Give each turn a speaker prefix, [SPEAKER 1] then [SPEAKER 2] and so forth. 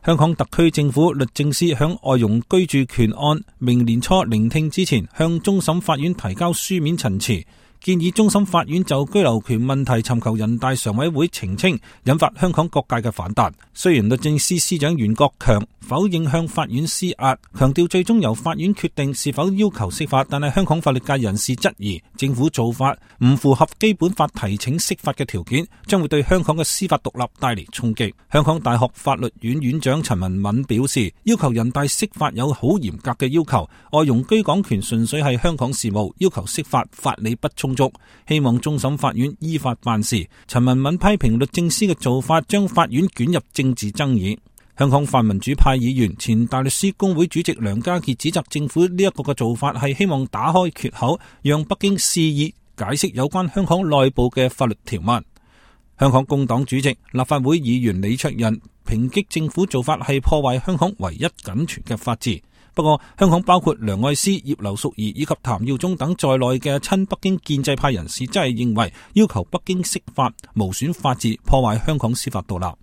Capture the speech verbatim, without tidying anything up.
[SPEAKER 1] 香港特區政府律政司響外傭居住權案明年初聆聽之前，向終審法院提交書面陳詞，建議終審法院就居留權問題尋求人大常委會澄清，引發香港各界嘅反彈。雖然律政司司長袁國強否認向法院施壓，強調最終由法院決定是否要求釋法，但係香港法律界人士質疑政府做法唔符合基本法提請釋法嘅條件，將會對香港嘅司法獨立帶嚟衝擊。香港大學法律院院長陳文敏表示，要求人大釋法有好嚴格嘅要求，外傭居港權純粹係香港事務，要求釋法法理不充足，希望終審法院依法辦事。陳文敏批評律政司嘅做法將法院捲入政治爭議。香港泛民主派議員前大律師公會主席梁家傑指責政府呢一個嘅做法係希望打開缺口，讓北京肆意解釋有關香港內部嘅法律條文。香港工黨主席、立法會議員李卓人抨擊政府做法係破壞香港唯一僅存嘅法治。不過，香港包括梁愛詩、葉劉淑儀以及譚耀宗等在內嘅親北京建制派人士真係認為要求北京釋法無損法治，破壞香港司法獨立。